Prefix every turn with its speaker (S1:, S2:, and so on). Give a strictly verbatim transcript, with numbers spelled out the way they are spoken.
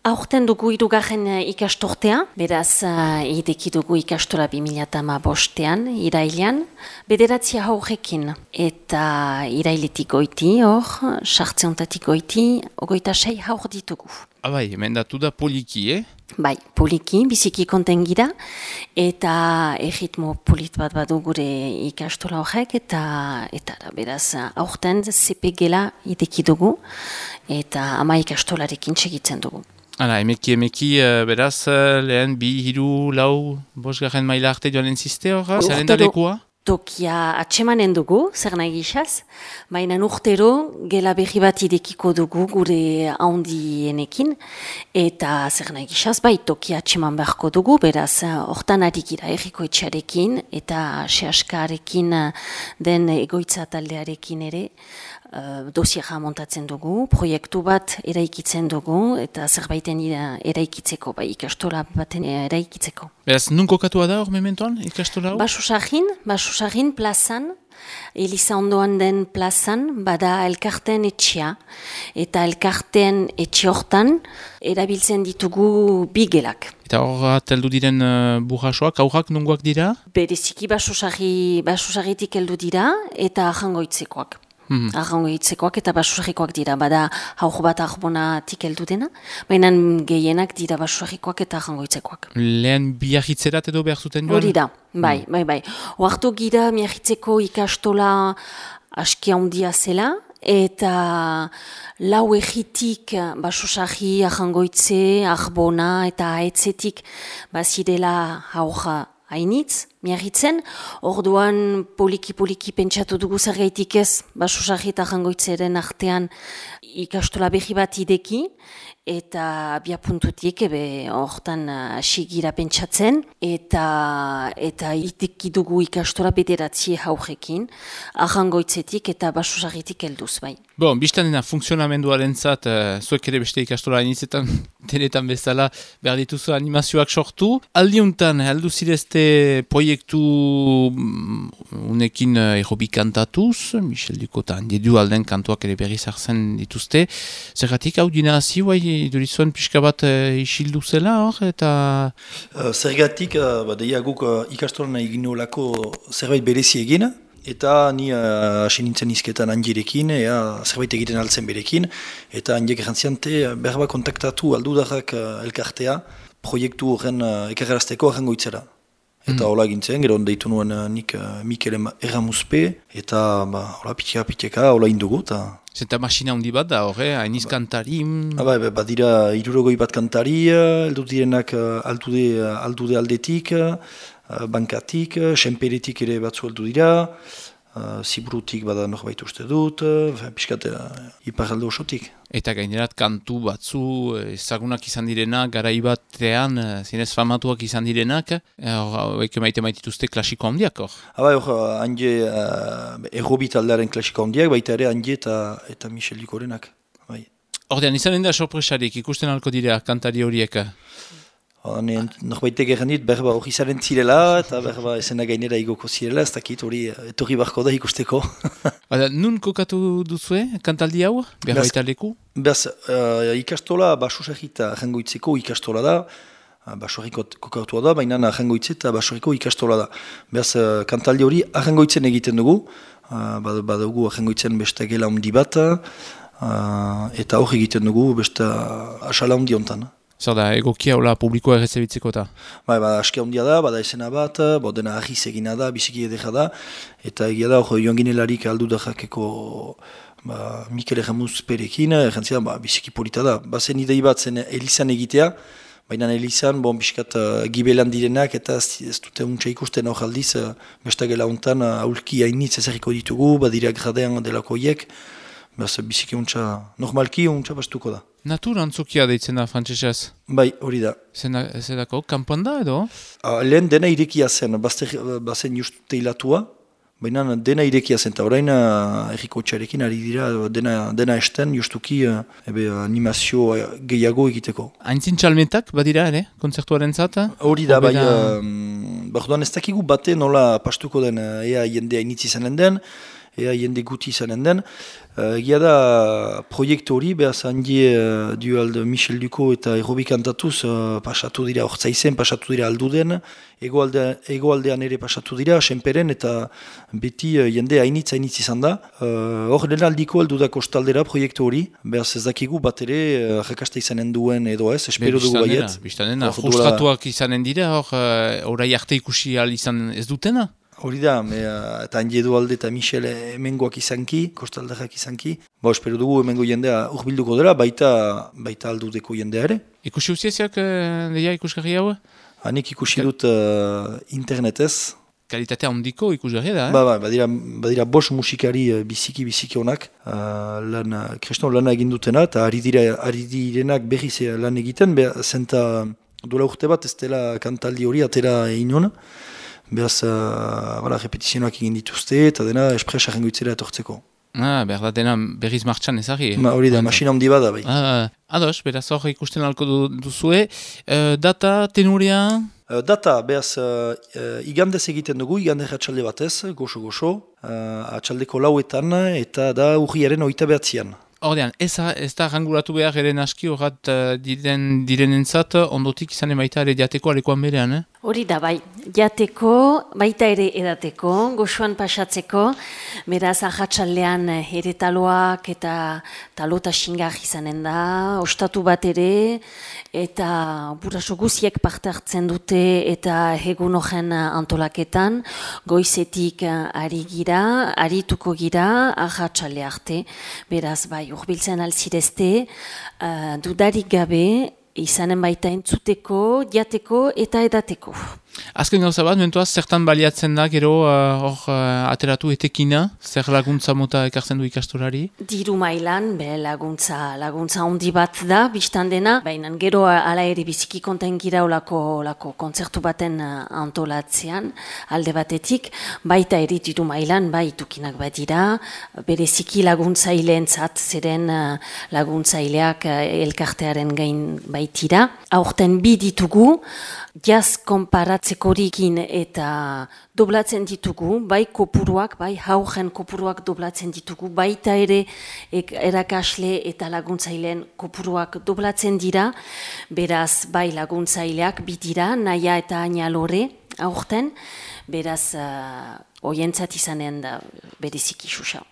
S1: aurten dugu hirugarren ikastortea, beraz uh, ideki dugu ikastola bi mila hamabostean, irailean, bederatzi haurrekin, eta irailetik goiti hor, sartzeontatik goiti, ogoita sei haur ditugu.
S2: Abai, emendatu da poliki, eh?
S1: Bai, poliki, biziki konten gira, eta erritmo polit bat badu gure ikastola horrek, eta, eta beraz, aurten Z P gela ideki dugu, eta ama ikastolarekin segitzen dugu.
S2: Hala, emeki, emeki, uh, beraz, uh, lehen bi, hiru, lau, bosgarren maila arte joan entziste horra? Zaren da lekua?
S1: Tokia atsemanen dugu, zer nahi gizaz, baina urtero gela berri bat idekiko dugu gure handienekin, eta zer nahi gizaz, bai tokia atseman beharko dugu, beraz, hortan ari gira erriko etxearekin, eta sehaskarekin den egoitza taldearekin ere, Uh, dosiera montatzen dugu, proiektu bat eraikitzen dugu, eta zerbaiten eraikitzeko, bai ikastola baten eraikitzeko.
S2: Beraz, nun kokatua da hor mementoan ikastola hau?
S1: Basusagin, Basusagin plazan, Eliza ondoan den plazan, bada elkarten etxea, eta elkarten etxe hortan erabiltzen ditugu bigelak.
S2: Eta hor heldu diren uh, burrasoak, aurrak nungoak dira?
S1: Bereziki Basusagi, Basusagitik heldu dira, eta ahangoitzekoak. Mm-hmm. Arrangoitzekoak eta basurrikoak dira, bada haur bat arbonatik heldu dena, baina gehienak dira basurrikoak eta arrangoitzekoak.
S2: Lehen biarritzerat edo behar zuten joan?
S1: Hori da, bai, bai, bai. Oartu gira biarritzeko ikastola aski handia zela, eta lau egitik basusarri, arrangoitze, arbona eta aetzetik bazirela haurra hainitz, miarritzen, orduan poliki-poliki pentsatu dugu zergaitik ez, basusarri eta jangoitzeren artean ikastola berri bat ideki, eta bia puntutik ebe hortan asigira pentsatzen, eta eta ideki dugu ikastola bederatzi haurrekin, arrangoitzetik eta basusarritik helduz bai.
S2: Bon, biztan dena funksionamenduaren zat, uh, zuek ere beste ikastola initzetan, denetan bezala, behar dituzu animazioak sortu. Aldiuntan, heldu zirezte proiektu unekin uh, errobik kantatuz, Michel Ducotan, dedu alden kantuak ere berri zartzen dituzte. Zergatik hau dina hazi, bai, durizuen pixka bat uh, isildu zela hor, eta...
S3: Uh, zergatik, uh, badeia guk uh, ikastolan egin olako zerbait berezi egin, eta ni hasi uh, nintzen izketan handirekin, ea zerbait egiten altzen berekin, eta handiek errantziante berba kontaktatu aldudarrak uh, elkartea, proiektu horren uh, ekarrazteko arrangoitzera. Eta hola mm. gintzen, gero deitu nuen uh, nik uh, Mikel Erramuzpe, eta ba, hola pitika piteka, hola indugu. Ta...
S2: Zenta masina handi bat da horre, hainiz ba, kantari?
S3: Ba, ba, ba dira hirurogoi bat kantari, heldu direnak uh, aldude, uh, aldude aldetik, uh, bankatik, uh, senperetik ere batzu heldu dira, uh, ziburutik bada norbait uste dut, uh, piskat uh, iparalde osotik.
S2: Eta gainerat kantu batzu ezagunak izan direnak, garai batean, zinez famatuak izan direnak, horiek maite maitituzte klasiko handiak hor?
S3: Haba hor, handi uh, errobi taldearen klasiko handiak, baita ere handi eta, eta Michel Ducorenak. Bai.
S2: Ordean, izanen da sorpresarik ikusten alko dira kantari horiek?
S3: Norbaitek erran dit, berba hori zaren zirela, eta berba esena gainera igoko zirela, ez dakit hori etorri barko da ikusteko.
S2: Bada, nun kokatu duzue, kantaldi hau, berba eta leku?
S3: Beaz, uh, ikastola, basusarrita arrangoitzeko ikastola da, basurriko kokatu da, baina arrangoitze eta basurriko ikastola da. Beaz, uh, kantaldi hori arrangoitzen egiten dugu, uh, badugu arrangoitzen beste gela handi bat, uh, eta hor egiten dugu beste asala handi hontan.
S2: Zer da, egokia hola publikoa errezebitzeko eta?
S3: Bai, ba, aski handia da, bada esena bat, bo, dena ahiz egina da, biziki edera da, eta egia da, hor joan ginelarik aldu da jakeko ba, Mikel Erramuzperekin, errantzia, ba, biziki polita da. Bazen idei bat zen Elizan egitea, baina Elizan, bon, biskat uh, gibelan direnak, eta ez dute untsa ikusten hor aldiz, uh, bestagela hontan, uh, aulki hainitz ezerriko ditugu, badira gradean delakoiek, beraz, biziki untsa, normalki untsa bastuko da.
S2: Natur antzokia deitzen da, frantzesez?
S3: Bai, hori da.
S2: Zedako, kanpoan da edo?
S3: Uh, lehen dena irekia zen, bazter, bazen just teilatua, baina dena irekia zen, eta orain uh, erriko txarekin ari dira dena, dena esten justuki uh, ebe, animazio gehiago egiteko.
S2: Haintzin txalmetak badira ere, kontzertuaren zata?
S3: Hori da, bai, uh, bardoan ez dakigu bate nola pastuko den ea jendea initzi izanen den, ea jende guti izanen den. Uh, egia da proiektu hori, behaz handie uh, dualde Michel Duko eta errobi kantatuz uh, pasatu dira ortsaizen, pasatu dira alduden, egoalde, egoaldean ere pasatu dira, senperen eta beti uh, jende hainitz hainitz izan da. Hor uh, lehen aldiko aldu da kostaldera proiektu hori, behaz ez dakigu bat ere uh, jakaste izanen duen edo ez, espero dugu baiet.
S2: Biztanena, frustratuak izanen dira, hor uh, orai arte ikusi ahal izan ez dutena?
S3: Hori da, me, uh, eta handi Edualde eta Michel hemengoak izanki, kostalderak izanki. Ba, espero dugu hemengo jendea urbilduko dela, baita, baita aldudeko jendea ere.
S2: Ikusi uzieziak, uh, deia ikusgarri hau?
S3: Hanik ikusi dut uh, internetez.
S2: Kalitatea handiko ikusgarri da, eh?
S3: Ba, ba, badira, badira bos musikari uh, biziki-biziki honak. Uh, lan, uh, Kriston lana egin dutena, eta ari, dira, ari direnak berriz lan egiten, beha, zenta dola urte bat ez dela kantaldi hori atera inon. Beraz, uh, voilà, repetizionak egin dituzte eta dena espresa jengoitzera etortzeko.
S2: Ah, behar da dena berriz martxan ezari.
S3: Ma, hori da, masina handi bada bai.
S2: Ah, ados, beraz hor ikusten alko du, duzue. Uh, data, tenuria?
S3: Uh, data, beraz, uh, uh, igandez egiten dugu, igandez atxalde batez, goxo-goxo, uh, atxaldeko lauetan eta da urriaren oita behatzian.
S2: Ordean, ez, ez da rangulatu behar eren aski horrat uh, diren, direnentzat ondotik izan emaita ere jateko alekoan berean, eh?
S1: Hori da, bai, jateko, baita ere edateko, goxuan pasatzeko, beraz ahatsaldean ere taloak eta talota xingar izanen da, ostatu bat ere, eta buraso guziek parte hartzen dute eta egun horren antolaketan, goizetik ari gira, arituko gira, ahatsalde arte, beraz, bai, urbiltzen alzirezte, uh, dudarik gabe, izanen baita entzuteko, jateko eta edateko.
S2: Azken gauza bat, mentuaz, zertan baliatzen da, gero hor uh, uh, ateratu etekina, zer laguntza mota ekartzen du ikastorari?
S1: Diru mailan, be, laguntza, laguntza handi bat da, biztan dena, baina gero ala ere biziki konten gira olako, olako kontzertu baten antolatzean, alde batetik, baita ere diru mailan, bai itukinak badira, bereziki laguntzaileantzat, zeren uh, laguntzaileak uh, elkartearen gain baitira. Aurten bi ditugu, jaz konparatzekorekin eta doblatzen ditugu, bai kopuruak, bai haugen kopuruak doblatzen ditugu, baita ere ek, erakasle eta laguntzaileen kopuruak doblatzen dira, beraz bai laguntzaileak bidira, naia eta ainalore aurten, beraz uh, oientzat izanen da bereziki xuxa.